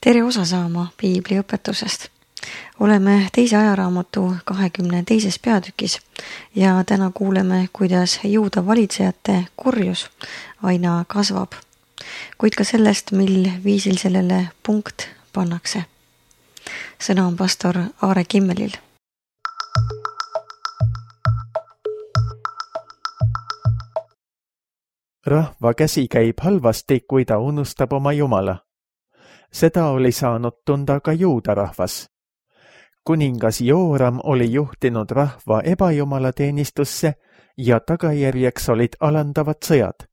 Tere osa saama piibli õpetusest. Oleme teise ajaraamatu 22. peatükis ja täna kuuleme, kuidas Juuda valitsejate kurjus aina kasvab, kuid ka sellest, mil viisil sellele punkt pannakse. Sõna on pastor Aare Kimmelil. Rahva käsi käib halvasti, kui ta unustab oma Jumala. Seda oli saanud tunda ka Juuda rahvas. Kuningas Jooram oli juhtinud rahva ebajumalateenistussse ja tagajärjeks olid alandavad sõjad.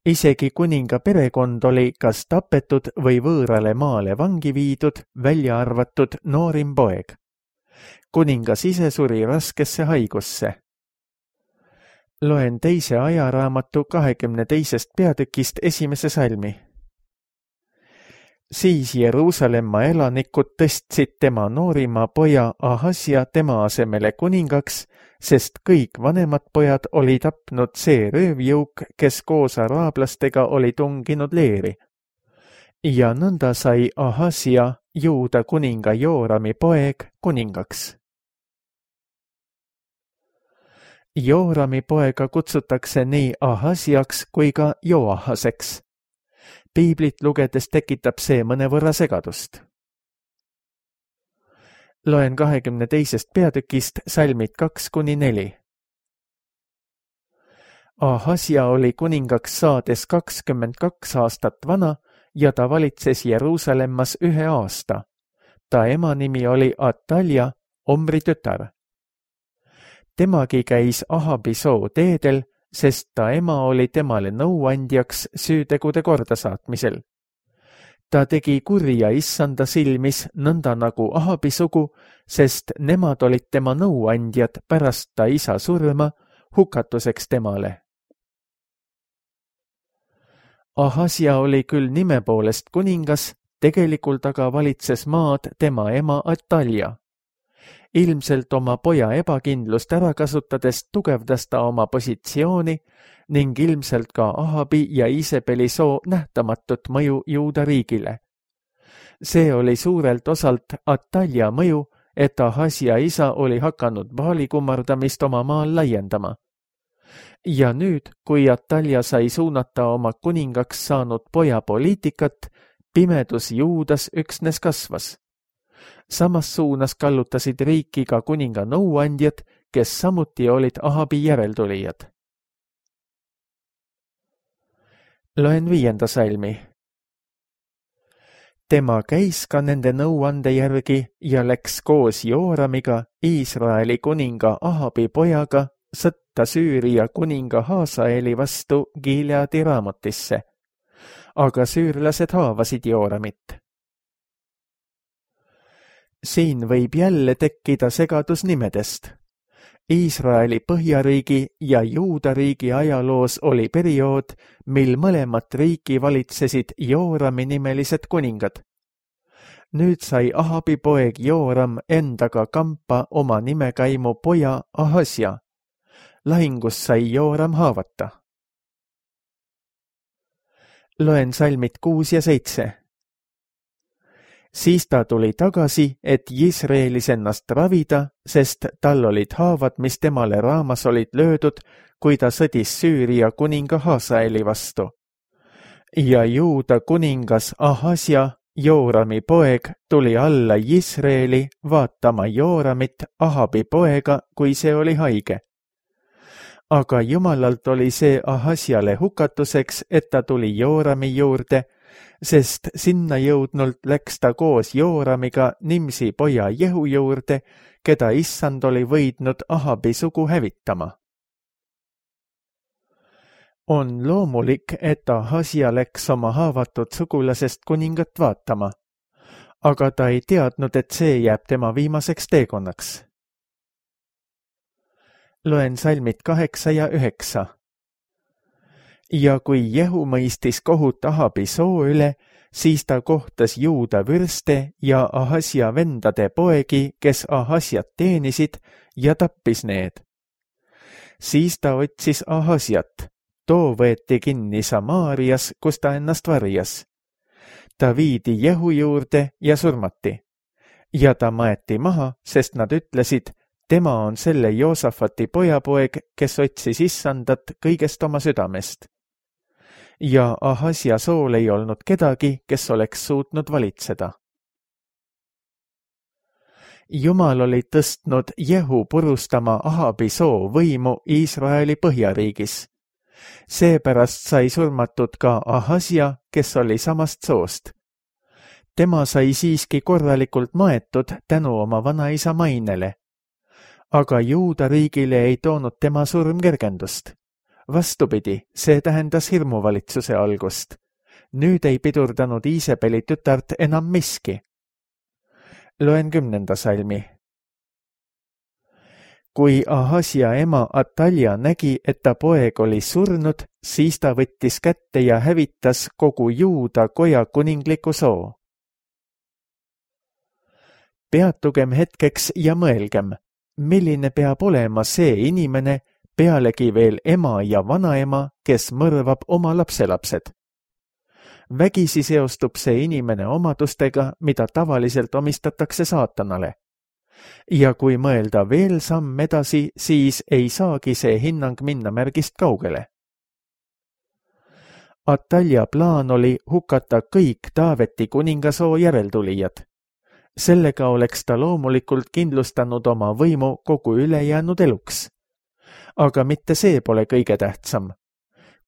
Isegi kuninga perekond oli kas tapetud või võõrale maale vangi viidud, välja arvatud noorim poeg. Kuningas ise suri raskesse haigusse. Loen teise ajaraamatu 22. peatükist 1. salmi. Siis Jeruusalemma elanikud tõstsid tema noorima poja Ahasja tema asemele kuningaks, sest kõik vanemad pojad oli tapnud see röövjõuk, kes koos araablastega oli tunginud leeri. Ja nõnda sai Ahasja, Juuda kuninga Joorami poeg, kuningaks. Joorami poega kutsutakse nii Ahasjaks kui ka Joahaseks. Piiblit lugedes tekitab see mõnevõrra segadust. Loen 22. peatükist salmid 2-4. Ahasja oli kuningaks saades 22 aastat vana ja ta valitses Jeruusalemmas 1 aasta. Ta ema nimi oli Atalja, Omri tütar. Temagi käis Ahabi soo teedel, sest ta ema oli temale nõuandjaks süütegude kordasaatmisel. Ta tegi kurja issanda silmis nõnda nagu Ahabi sugu, sest nemad olid tema nõuandjad pärast ta isa surma hukatuseks temale. Ahasja oli küll nime poolest kuningas, tegelikult aga valitses maad tema ema Atalja. Ilmselt oma poja ebakindlust ära kasutades tugevdas ta oma positsiooni ning ilmselt ka Ahabi ja Isebeli soo nähtamatut mõju Juuda riigile. See oli suurelt osalt Atalja mõju, et Ahasja isa oli hakanud Baali kummardamist oma maal laiendama. Ja nüüd, kui Atalja sai suunata oma kuningaks saanud poja poliitikat, pimedus Juudas üksnes kasvas. Samas suunas kallutasid riiki ka kuninga nõuandjad, kes samuti olid Ahabi järeltulijad. Loen 5. salmi. Tema käis ka nende nõuande järgi ja läks koos Jooramiga, Iisraeli kuninga Ahabi pojaga, sõtta Süüria kuninga Haasaeli vastu Gileadi Raamotisse. Aga süürlased haavasid Jooramit. Siin võib jälle tekkida segadus nimedest. Iisraeli põhjariigi ja Juuda riigi ajaloos oli periood, mil mõlemat riiki valitsesid Joorami nimelised kuningad. Nüüd sai Ahabi poeg Jooram endaga kampa oma nimekaimu poja Ahasja. Lahingus sai Jooram haavata. Loen salmid 6 ja 7. Siis ta tuli tagasi, et Jisraelis ennast ravida, sest tal olid haavad, mis temale raamas olid löödud, kui ta sõdis Süüria kuninga Haasaeli vastu. Ja Juuda kuningas Ahasja, Joorami poeg, tuli alla Jisraeli vaatama Jooramit, Ahabi poega, kui see oli haige. Aga Jumalalt oli see Ahasjale hukatuseks, et ta tuli Joorami juurde, sest sinna jõudnult läks ta koos Jooramiga Nimsi poja Jehu juurde, keda issand oli võidnud Ahabi sugu hävitama. On loomulik, et Ahasja läks oma haavatud sugulasest kuningat vaatama, aga ta ei teadnud, et see jääb tema viimaseks teekonnaks. Loen salmid 8 ja 9. Ja kui Jehu mõistis kohut Ahabi soo üle, siis ta kohtas Juuda vürste ja Ahasja vendade poegi, kes Ahasjat teenisid, ja tappis need. Siis ta otsis Ahasjat, too võeti kinni Samaarias, kus ta ennast varjas. Ta viidi Jehu juurde ja surmati. Ja ta maeti maha, sest nad ütlesid, tema on selle Joosafati pojapoeg, kes otsis issandat kõigest oma südamest. Ja Ahasja sool ei olnud kedagi, kes oleks suutnud valitseda. Jumal oli tõstnud Jehu purustama Ahabi soo võimu Iisraeli põhjariigis. Seepärast sai surmatud ka Ahasja, kes oli samast soost. Tema sai siiski korralikult maetud tänu oma vanaisa mainele. Aga Juuda riigile ei toonud tema surm kergendust. Vastupidi, see tähendas hirmuvalitsuse algust. Nüüd ei pidurdanud Iisabeli tütart enam miski. Loen 10. salmi. Kui Ahasja ema Atalja nägi, et ta poeg oli surnud, siis ta võttis kätte ja hävitas kogu Juuda koja kuningliku soo. Peatugem hetkeks ja mõelgem, milline peab olema see inimene, pealegi veel ema ja vanaema, kes mõrvab oma lapselapsed. Vägisi seostub see inimene omadustega, mida tavaliselt omistatakse saatanale. Ja kui mõelda veel samm edasi, siis ei saagi see hinnang minna märgist kaugele. Atalja plaan oli hukata kõik Taaveti kuningasoo järeltulijad. Sellega oleks ta loomulikult kindlustanud oma võimu kogu ülejäänud eluks. Aga mitte see pole kõige tähtsam.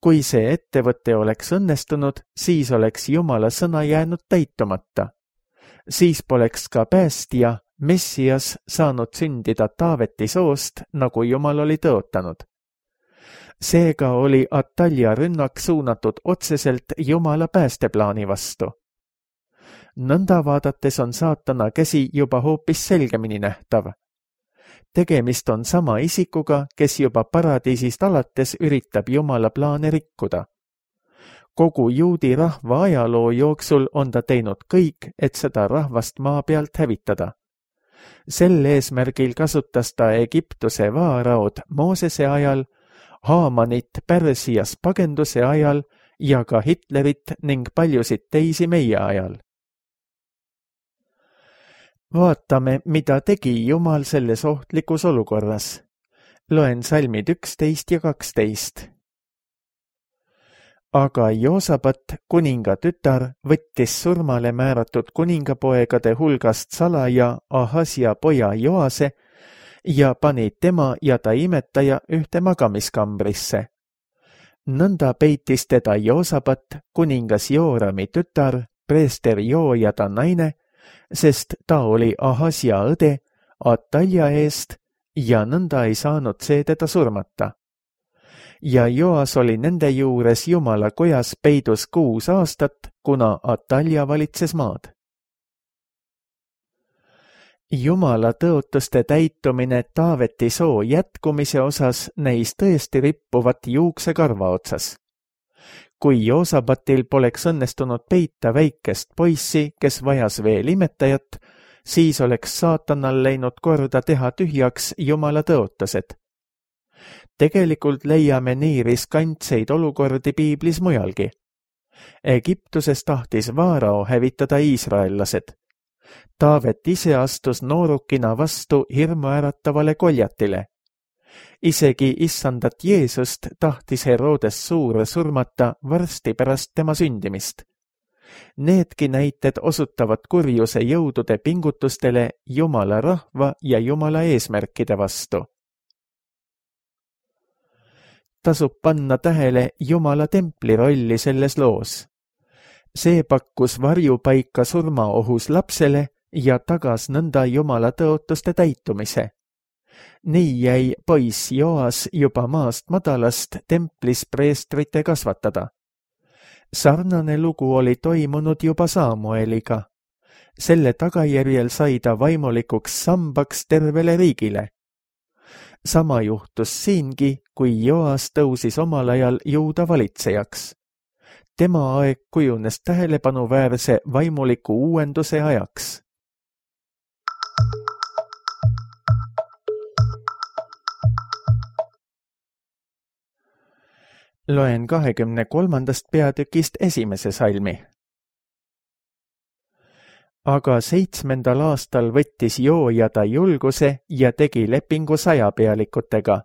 Kui see ettevõte oleks õnnestunud, siis oleks Jumala sõna jäänud täitumata. Siis poleks ka päästja, Messias, saanud sündida Taaveti soost, nagu Jumal oli tõotanud. Seega oli Atalja rünnak suunatud otseselt Jumala päästeplaani vastu. Nõnda vaadates on saatana käsi juba hoopis selgemini nähtav. Tegemist on sama isikuga, kes juba paradiisist alates üritab Jumala plaane rikkuda. Kogu juudi rahva ajaloo jooksul on ta teinud kõik, et seda rahvast maa pealt hävitada. Sel eesmärgil kasutas ta Egiptuse vaaraod Moosese ajal, Haamanit Pärsias pagenduse ajal ja ka Hitlerit ning paljusid teisi meie ajal. Vaatame, mida tegi Jumal selles ohtlikus olukorras. Loen salmid 11 ja 12. Aga Joosabat, kuninga tütar, võttis surmale määratud kuningapoegade hulgast salaja Ahasja poja Joase ja pani tema ja ta imetaja ühte magamiskambrisse. Nõnda peitis teda Joosabat, kuningas Joorami tütar, preester Joo ja ta naine, sest ta oli Ahasja õde Atalja eest ja nõnda ei saanud see teda surmata. Ja Joas oli nende juures Jumala kojas peidus 6 aastat, kuna Atalja valitses maad. Jumala tõotuste täitumine Taaveti soo jätkumise osas näis tõesti rippuvat juuksekarva otsas. Kui Joosabatil poleks õnnestunud peita väikest poissi, kes vajas veel imetajat, siis oleks saatanal läinud korda teha tühjaks Jumala tõotused. Tegelikult leiame nii riskantseid olukordi piiblis mujalgi. Egiptuses tahtis Vaarao hävitada iisraellased. Taavet ise astus noorukina vastu hirmuäratavale Goljatile. Isegi issandat Jeesust tahtis Herodes Suur surmata varsti pärast tema sündimist. Needki näited osutavad kurjuse jõudude pingutustele Jumala rahva ja Jumala eesmärkide vastu. Tasub panna tähele Jumala templi rolli selles loos. See pakkus varjupaika surmaohus lapsele ja tagas nõnda Jumala tõotuste täitumise. Nii jäi poiss Joas juba maast madalast templis preestrite kasvatada. Sarnane lugu oli toimunud juba Samueliga. Selle tagajärjel sai ta vaimulikuks sambaks tervele riigile. Sama juhtus siingi, kui Joas tõusis omal ajal Juuda valitsejaks. Tema aeg kujunes tähelepanuväärse vaimuliku uuenduse ajaks. Loen 23. peatükist 1. salmi. Aga 7. aastal võttis Joojada julguse ja tegi lepingu 100 pealikutega,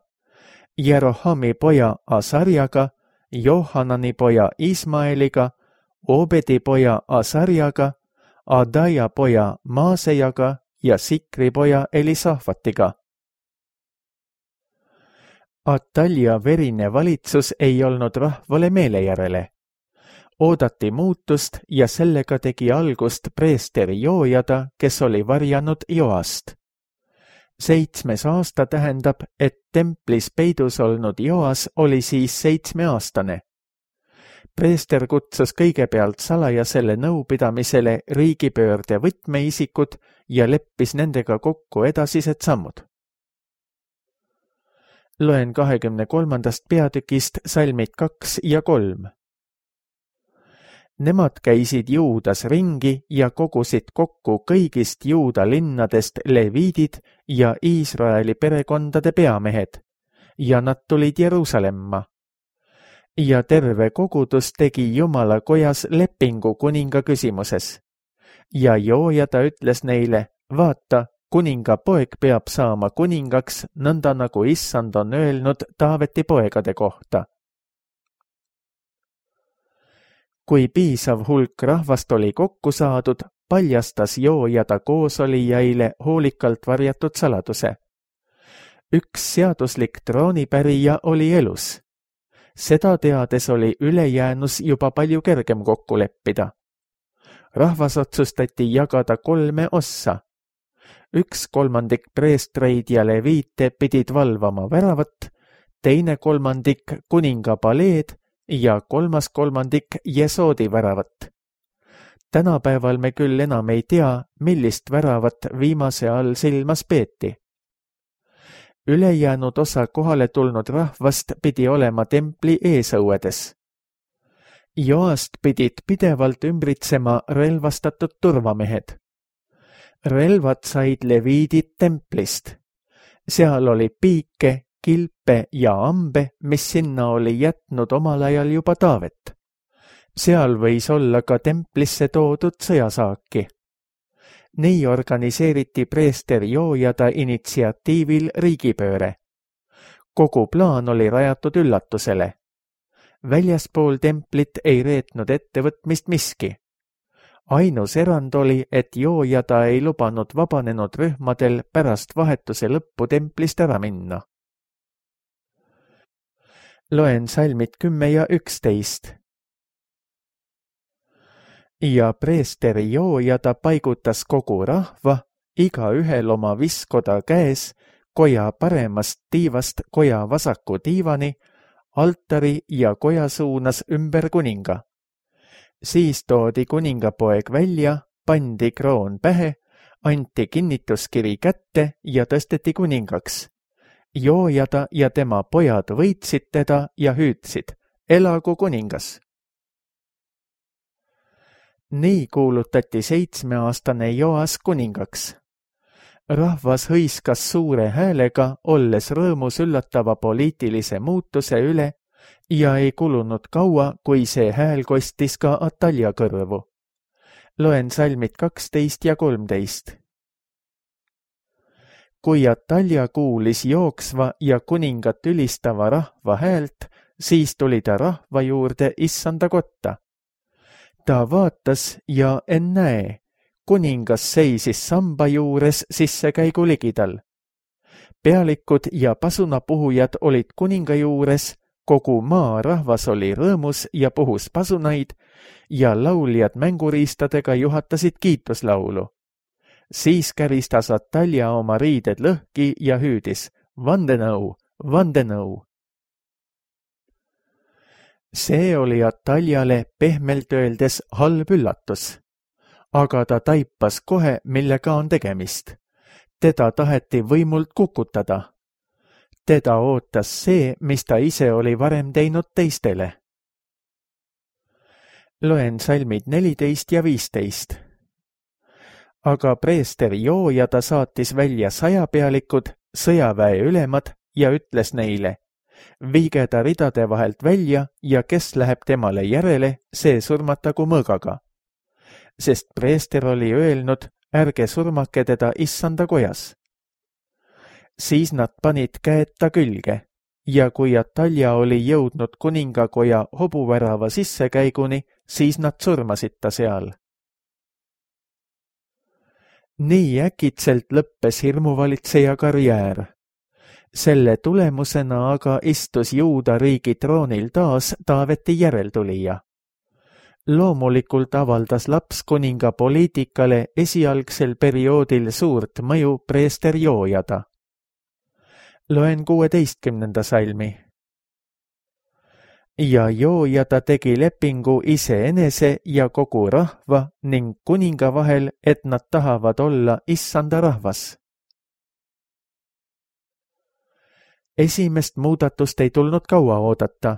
Jerohami poja Asarjaga, Johanani poja Ismaeliga, Obedi poja Asarjaga, Adaja poja Maasejaga ja Sikri poja Elisafatiga. Atalja verine valitsus ei olnud rahvale meele järele. Oodati muutust ja sellega tegi algust preester Joojada, kes oli varjanud Joast. 7. aasta tähendab, et templis peidus olnud Joas oli siis 7-aastane. Preester kutsus kõigepealt salajasele nõupidamisele riigipöörde võtmeisikud ja leppis nendega kokku edasised sammud. Loen 23. peatükist salmid 2 ja 3. Nemad käisid Juudas ringi ja kogusid kokku kõigist Juuda linnadest leviidid ja Iisraeli perekondade peamehed, ja nad tulid Jeruusalemma. Ja terve kogudus tegi Jumala kojas lepingu kuninga küsimuses. Ja Joojada ütles neile, vaata, kuninga poeg peab saama kuningaks, nõnda nagu Issand on öelnud Taaveti poegade kohta. Kui piisav hulk rahvast oli kokku saadud, paljastas Joojada koosolijaile hoolikalt varjatud saladuse. Üks seaduslik troonipärija oli elus. Seda teades oli ülejäänus juba palju kergem kokku leppida. Rahvas otsustati jagada 3 ossa. 1/3 preestreid ja leviite pidid valvama väravat, 2/3 kuninga paleed ja 3/3 Jesoodi väravat. Tänapäeval me küll enam ei tea, millist väravat viimase all silmas peeti. Ülejäänud osa kohale tulnud rahvast pidi olema templi eesõuedes. Joast pidid pidevalt ümbritsema relvastatud turvamehed. Relvad said leviidid templist. Seal oli piike, kilpe ja ambe, mis sinna oli jätnud omal ajal juba Taavet. Seal võis olla ka templisse toodud sõjasaaki. Nii organiseeriti preester Joojada initsiatiivil riigipööre. Kogu plaan oli rajatud üllatusele. Väljaspool templit ei reetnud ettevõtmist miski. Ainus erand oli, et Joojada ei lubanud vabanenud rühmadel pärast vahetuse lõppu templist ära minna. Loen salmid 10 ja 11. Ja preester Joojada paigutas kogu rahva, igaühel oma viskoda käes, koja paremast tiivast koja vasaku tiivani, altari ja koja suunas ümber kuninga. Siis toodi kuningapoeg välja, pandi kroon pähe, anti kinnituskiri kätte ja tõsteti kuningaks. Joojada ja tema pojad võitsid teda ja hüüdsid, elagu kuningas. Nii kuulutati 7-aastane Joas kuningaks. Rahvas hõiskas suure häälega, olles rõõmus üllatava poliitilise muutuse üle, ja ei kulunud kaua, kui see hääl kostis ka Atalja kõrvu. Loen salmid 12 ja 13. Kui Atalja kuulis jooksva ja kuningat ülistava rahva häält, siis tuli ta rahva juurde issanda kotta. Ta vaatas ja ennäe, kuningas seisis samba juures sissekäigu ligidal. Pealikud ja pasunapuhujad olid kuninga juures, kogu maa rahvas oli rõõmus ja puhus pasunaid ja lauljad mänguriistadega juhatasid kiituslaulu. Siis käristas Atalja oma riided lõhki ja hüüdis, vandenõu, vandenõu. See oli Ataljale pehmelt öeldes halb üllatus, aga ta taipas kohe, millega on tegemist. Teda taheti võimult kukutada. Teda ootas see, mis ta ise oli varem teinud teistele. Loen salmid 14 ja 15. Aga preester Joojada saatis välja 100 pealikud, sõjaväe ülemad ja ütles neile, viige ta ridade vahelt välja ja kes läheb temale järele, see surmatagu mõõgaga. sest preester oli öelnud, ärge surmake teda issanda kojas. Siis nad panid käed ta külge ja kui Atalja oli jõudnud kuningakoja hobuvärava sissekäiguni, siis nad surmasid ta seal. Nii äkitselt lõppes hirmuvalitseja karjäär. Selle tulemusena aga istus Juuda riigi troonil taas Taaveti järeltulija. Loomulikult avaldas lapskuninga poliitikale esialgsel perioodil suurt mõju preester Joojada. Loen 16. salmi. Ja Joojada tegi lepingu iseenese ja kogu rahva ning kuninga vahel, et nad tahavad olla issanda rahvas. Esimest muudatust ei tulnud kaua oodata.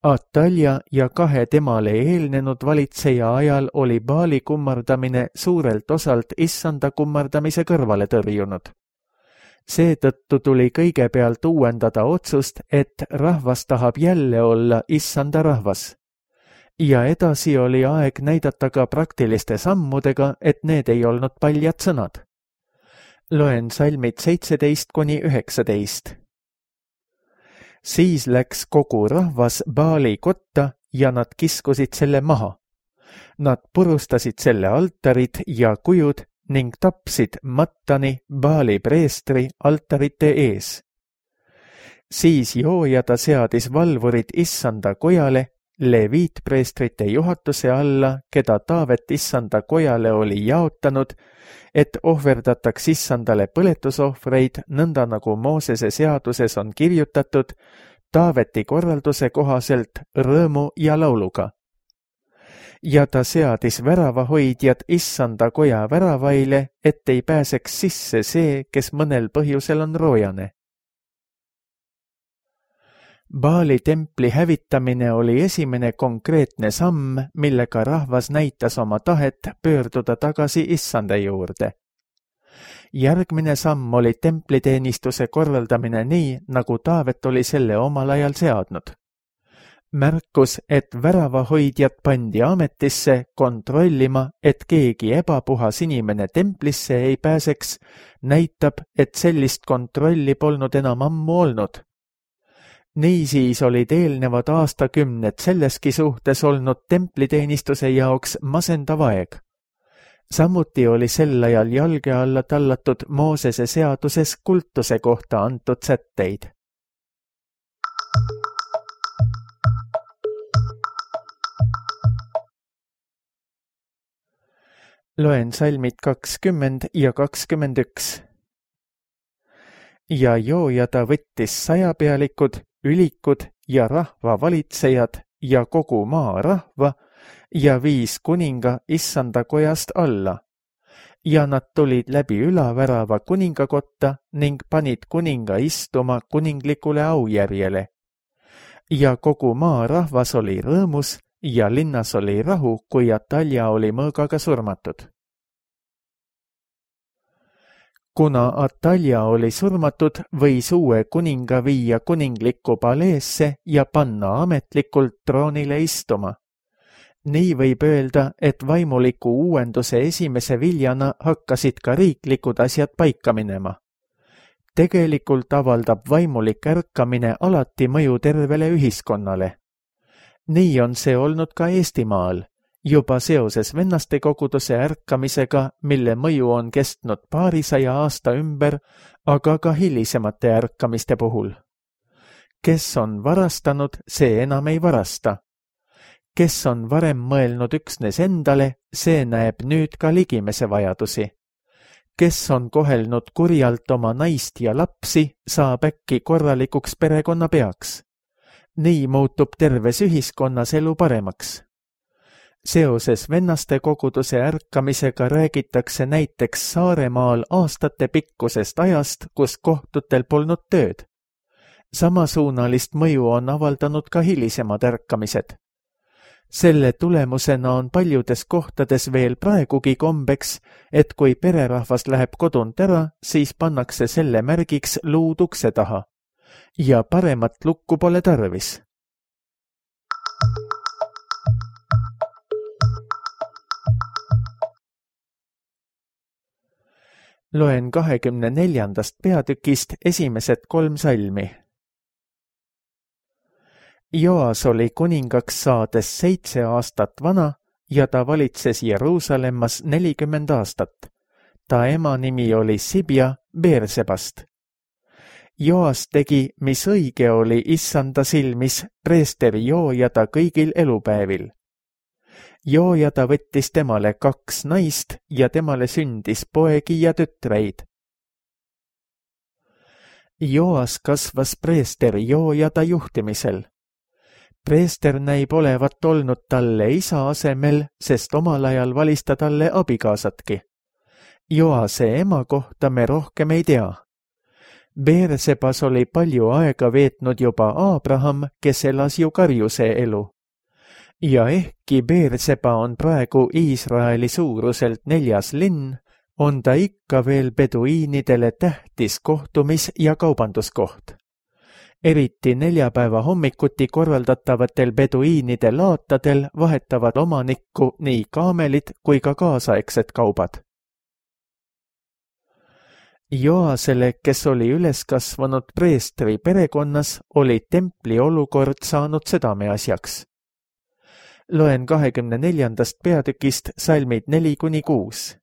Atalja ja 2 temale eelnenud valitseja ajal oli Baali kummardamine suurelt osalt issanda kummardamise kõrvale tõrjunud. Seetõttu tuli kõigepealt uuendada otsust, et rahvas tahab jälle olla issanda rahvas. Ja edasi oli aeg näidata ka praktiliste sammudega, et need ei olnud paljad sõnad. Loen salmid 17–19. Siis läks kogu rahvas Baali kotta ja nad kiskusid selle maha. Nad purustasid selle altarid ja kujud ning tapsid Mattani, Baali preestri, altarite ees. Siis Joojada seadis valvurid issanda kojale, leviitpreestrite juhatuse alla, keda Taavet issanda kojale oli jaotanud, et ohverdataks issandale põletusohvreid, nõnda nagu Moosese seaduses on kirjutatud, Taaveti korralduse kohaselt rõõmu ja lauluga. Ja ta seadis väravahoidjad issanda koja väravaile, et ei pääseks sisse see, kes mõnel põhjusel on roojane. Baali templi hävitamine oli esimene konkreetne samm, millega rahvas näitas oma tahet pöörduda tagasi issanda juurde. Järgmine samm oli templiteenistuse korraldamine nii, nagu Taavet oli selle omal ajal seadnud. Märkus, et väravahoidjad pandi ametisse kontrollima, et keegi ebapuhas inimene templisse ei pääseks, näitab, et sellist kontrolli polnud enam ammu olnud. Niisiis olid eelnevad aastakümned selleski suhtes olnud templiteenistuse jaoks masendav aeg. Samuti oli sel ajal jalge alla tallatud Moosese seaduses kultuse kohta antud sätteid. Loen salmid 20 ja 21. Ja Joojada võttis 100-pealikud, ülikud ja rahvavalitsejad ja kogu maa rahva ja viis kuninga issanda kojast alla. Ja nad tulid läbi ülavärava kuningakotta ning panid kuninga istuma kuninglikule aujärjele. Ja kogu maa rahvas oli rõõmus ja linnas oli rahu, kui Atalja oli mõõgaga surmatud. Kuna Atalja oli surmatud, võis uue kuninga viia kuninglikku paleesse ja panna ametlikult troonile istuma. Nii võib öelda, et vaimuliku uuenduse esimese viljana hakkasid ka riiklikud asjad paika minema. Tegelikult avaldab vaimulik ärkamine alati mõju tervele ühiskonnale. Nii on see olnud ka Eestimaal, juba seoses vennastekoguduse ärkamisega, mille mõju on kestnud paarisaja aasta ümber, aga ka hilisemate ärkamiste puhul. Kes on varastanud, see enam ei varasta. Kes on varem mõelnud üksnes endale, see näeb nüüd ka ligimese vajadusi. Kes on kohelnud kurjalt oma naist ja lapsi, saab äkki korralikuks perekonnapeaks. Nii muutub terves ühiskonnas elu paremaks. Seoses vennastekoguduse ärkamisega räägitakse näiteks Saaremaal aastate pikkusest ajast, kus kohtutel polnud tööd. Samasuunalist mõju on avaldanud ka hilisemad ärkamised. Selle tulemusena on paljudes kohtades veel praegugi kombeks, et kui pererahvas läheb kodunt ära, siis pannakse selle märgiks luud ukse taha. Ja paremat lukku pole tarvis. Loen 24. peatükist esimesed 3 salmi. Joas oli kuningaks saades 7 aastat vana ja ta valitses Jeruusalemmas 40 aastat. Ta ema nimi oli Sibja Beersebast. Joas tegi, mis õige oli issanda silmis preesteri Joojada kõigil elupäevil. Joojada võttis temale 2 naist ja temale sündis poegi ja tütreid. Joas kasvas preester Joojada juhtimisel. Preester näib olevat olnud talle isa asemel, sest omal ajal valis ta talle abikaasatki. Joase ema kohta me rohkem ei tea. Beersebas oli palju aega veetnud juba Abraham, kes elas ju karjuse elu. Ja ehkki Beerseba on praegu Iisraeli suuruselt 4. linn, on ta ikka veel beduiinidele tähtis kohtumis- ja kaubanduskoht. Eriti neljapäeva hommikuti korraldatavatel beduiinide laatadel vahetavad omanikku nii kaamelid kui ka kaasaegsed kaubad. Joasele, kes oli üles kasvanud preestri perekonnas, oli templi olukord saanud südameasjaks. Loen 24. peatükist salmid 4-6.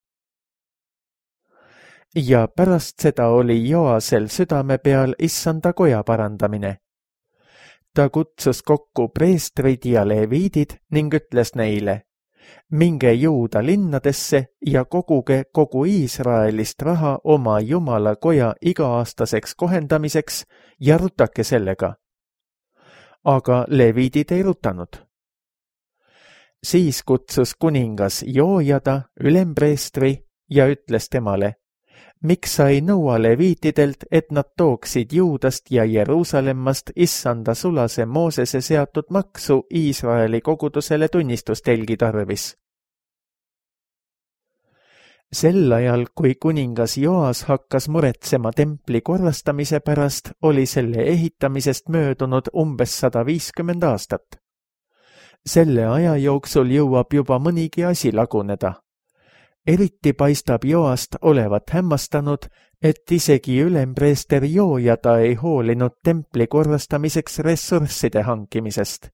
Ja pärast seda oli Joasel südame peal issanda koja parandamine. Ta kutsus kokku preestrid ja leviidid ning ütles neile: minge Juuda linnadesse ja koguge kogu Iisraelist raha oma Jumala koja iga-aastaseks kohendamiseks ja rutake sellega. Aga leviidid ei rutanud. Siis kutsus kuningas Joojada, ülempreestri, ja ütles temale: miks sa ei nõua leviitidelt, et nad tooksid Juudast ja Jeruusalemmast issanda sulase Moosese seatud maksu Iisraeli kogudusele tunnistustelgi tarvis? Sel ajal, kui kuningas Joas hakkas muretsema templi korrastamise pärast, oli selle ehitamisest möödunud umbes 150 aastat. Selle aja jooksul jõuab juba mõnigi asi laguneda. Eriti paistab Joast olevat hämmastanud, et isegi ülempreester Joojada ei hoolinud templi korrastamiseks ressursside hankimisest.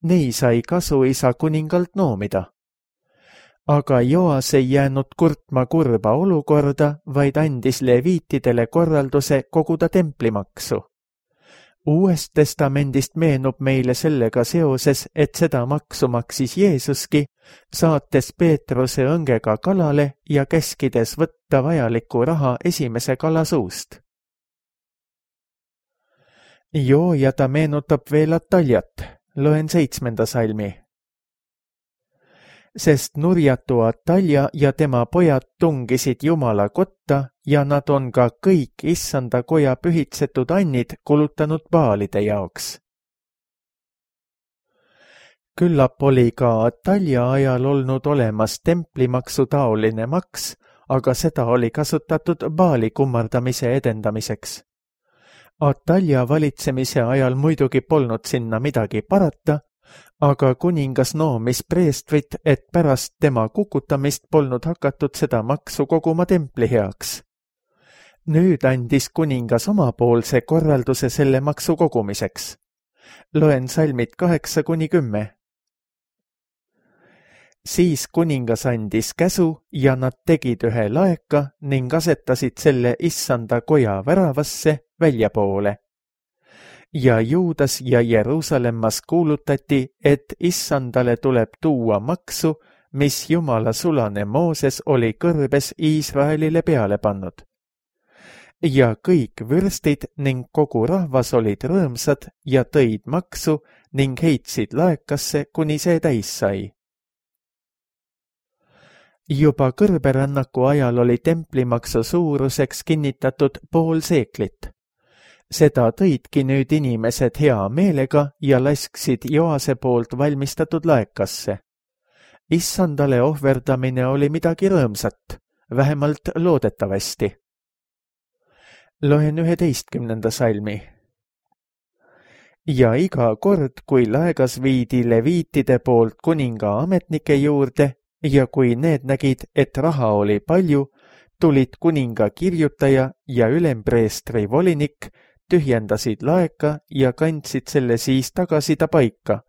Nii sai kasu isa kuningalt noomida. Aga Joas ei jäänud kurtma kurba olukorda, vaid andis leviitidele korralduse koguda templimaksu. Uuest testamendist meenub meile sellega seoses, et seda maksu maksis Jeesuski, saates Peetruse õngega kalale ja käskides võtta vajalikku raha esimese kala suust. Joojada meenutab veel Ataljat, loen 7. salmi. Sest nurjatu Atalja ja tema pojad tungisid Jumala kotta ja nad on ka kõik issanda koja pühitsetud annid kulutanud baalide jaoks. Küllap oli ka Atalja ajal olnud olemas templimaksu taoline maks, aga seda oli kasutatud baali kummardamise edendamiseks. Atalja valitsemise ajal muidugi polnud sinna midagi parata, aga kuningas noomis preestrit, et pärast tema kukutamist polnud hakatud seda maksu koguma templi heaks. Nüüd andis kuningas omapoolse korralduse selle maksu kogumiseks. Loen salmid 8-10. Siis kuningas andis käsu ja nad tegid ühe laeka ning asetasid selle issanda koja väravasse väljapoole. Ja Juudas ja Jeruusalemmas kuulutati, et issandale tuleb tuua maksu, mis Jumala sulane Mooses oli kõrbes Iisraelile peale pannud. Ja kõik vürstid ning kogu rahvas olid rõõmsad ja tõid maksu ning heitsid laekasse, kuni see täis sai. Juba kõrberännaku ajal oli templimaksu suuruseks kinnitatud 0,5 seeklit. Seda tõidki nüüd inimesed hea meelega ja lasksid Joase poolt valmistatud laekasse. Issandale ohverdamine oli midagi rõõmsat, vähemalt loodetavasti. Loen 11. salmi. Ja iga kord, kui laegas viidi leviitide poolt kuninga ametnike juurde ja kui need nägid, et raha oli palju, tulid kuninga kirjutaja ja ülempreestri volinik, tühjendasid laeka ja kandsid selle siis tagasi ta paika.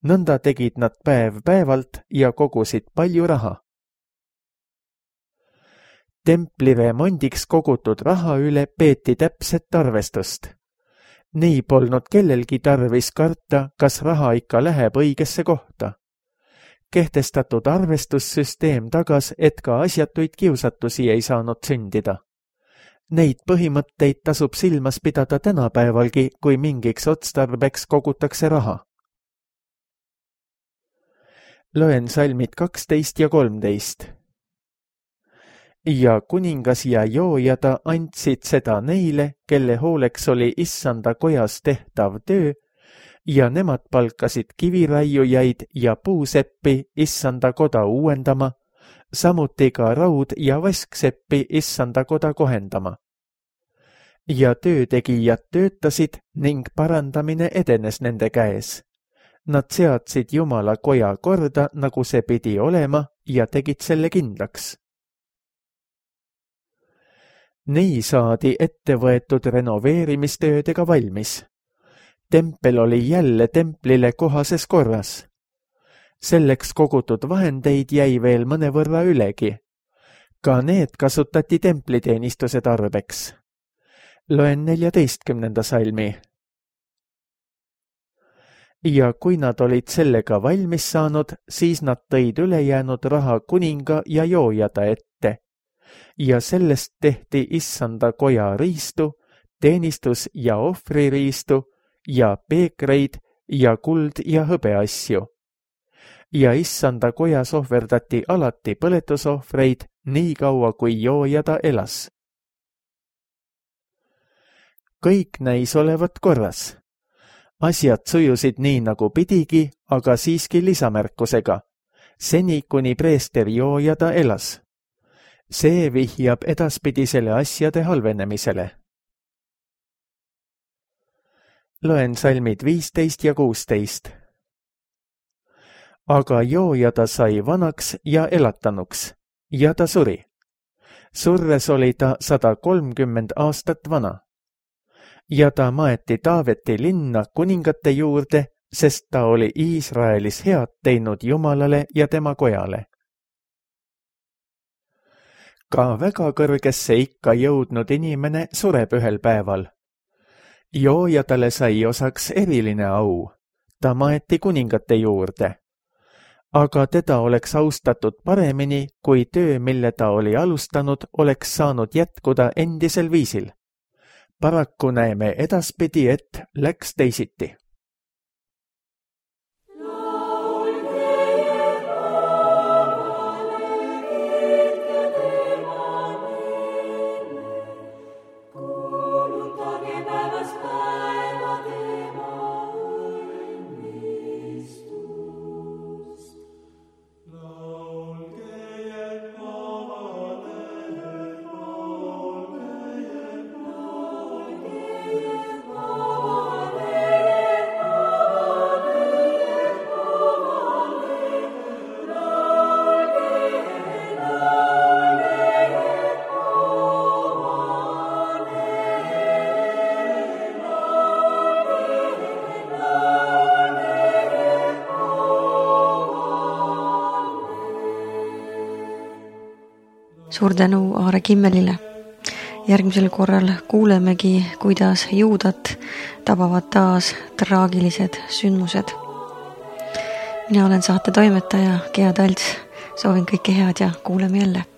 Nõnda tegid nad päev päevalt ja kogusid palju raha. Templi remondiks kogutud raha üle peeti täpset arvestust. Nii polnud kellelgi tarvis karta, kas raha ikka läheb õigesse kohta. Kehtestatud arvestussüsteem tagas, et ka asjatuid kiusatusi ei saanud sündida. Neid põhimõtteid tasub silmas pidada tänapäevalgi, kui mingiks otstarbeks kogutakse raha. Loen salmid 12 ja 13. Ja kuningas ja joojada andsid seda neile, kelle hooleks oli issanda kojas tehtav töö, ja nemad palkasid kiviraiujaid ja puuseppi issanda koda uuendama, samuti ka raud- ja vaskseppi issanda koda kohendama. Ja töötegijad töötasid ning parandamine edenes nende käes. Nad seadsid Jumala koja korda, nagu see pidi olema, ja tegid selle kindlaks. Nii saadi ettevõetud renoveerimistöödega valmis. Tempel oli jälle templile kohases korras. Selleks kogutud vahendeid jäi veel mõnevõrra ülegi. Ka need kasutati templiteenistuse tarbeks. Loen 14. salmi. Ja kui nad olid sellega valmis saanud, siis nad tõid ülejäänud raha kuninga ja joojada ette. Ja sellest tehti issanda koja riistu, teenistus- ja ohvririistu ja peekreid ja kuld- ja hõbeasju. Ja issanda kojas ohverdati alati põletusohvreid nii kaua, kui joojada elas. Kõik näis olevat korras. Asjad sujusid nii, nagu pidigi, aga siiski lisamärkusega, seni kuni preester joojada elas. See vihjab edaspidisele asjade halvenemisele. Loen salmid 15 ja 16. Aga joojada sai vanaks ja elatanuks, ja ta suri. Surres oli ta 130 aastat vana. Ja ta maeti Taaveti linna kuningate juurde, sest ta oli Iisraelis head teinud Jumalale ja tema kojale. Ka väga kõrgesse ikka jõudnud inimene sureb ühel päeval. Joojadale sai osaks eriline au. Ta maeti kuningate juurde. Aga teda oleks austatud paremini, kui töö, mille ta oli alustanud, oleks saanud jätkuda endisel viisil. Paraku näeme edaspidi, et läks teisiti. Suur tänu Aare Kimmelile. Järgmisel korral kuulemegi, kuidas Juudat tabavad taas traagilised sündmused. Mina olen saate toimetaja Gea Talts. Soovin kõike head ja kuuleme jälle.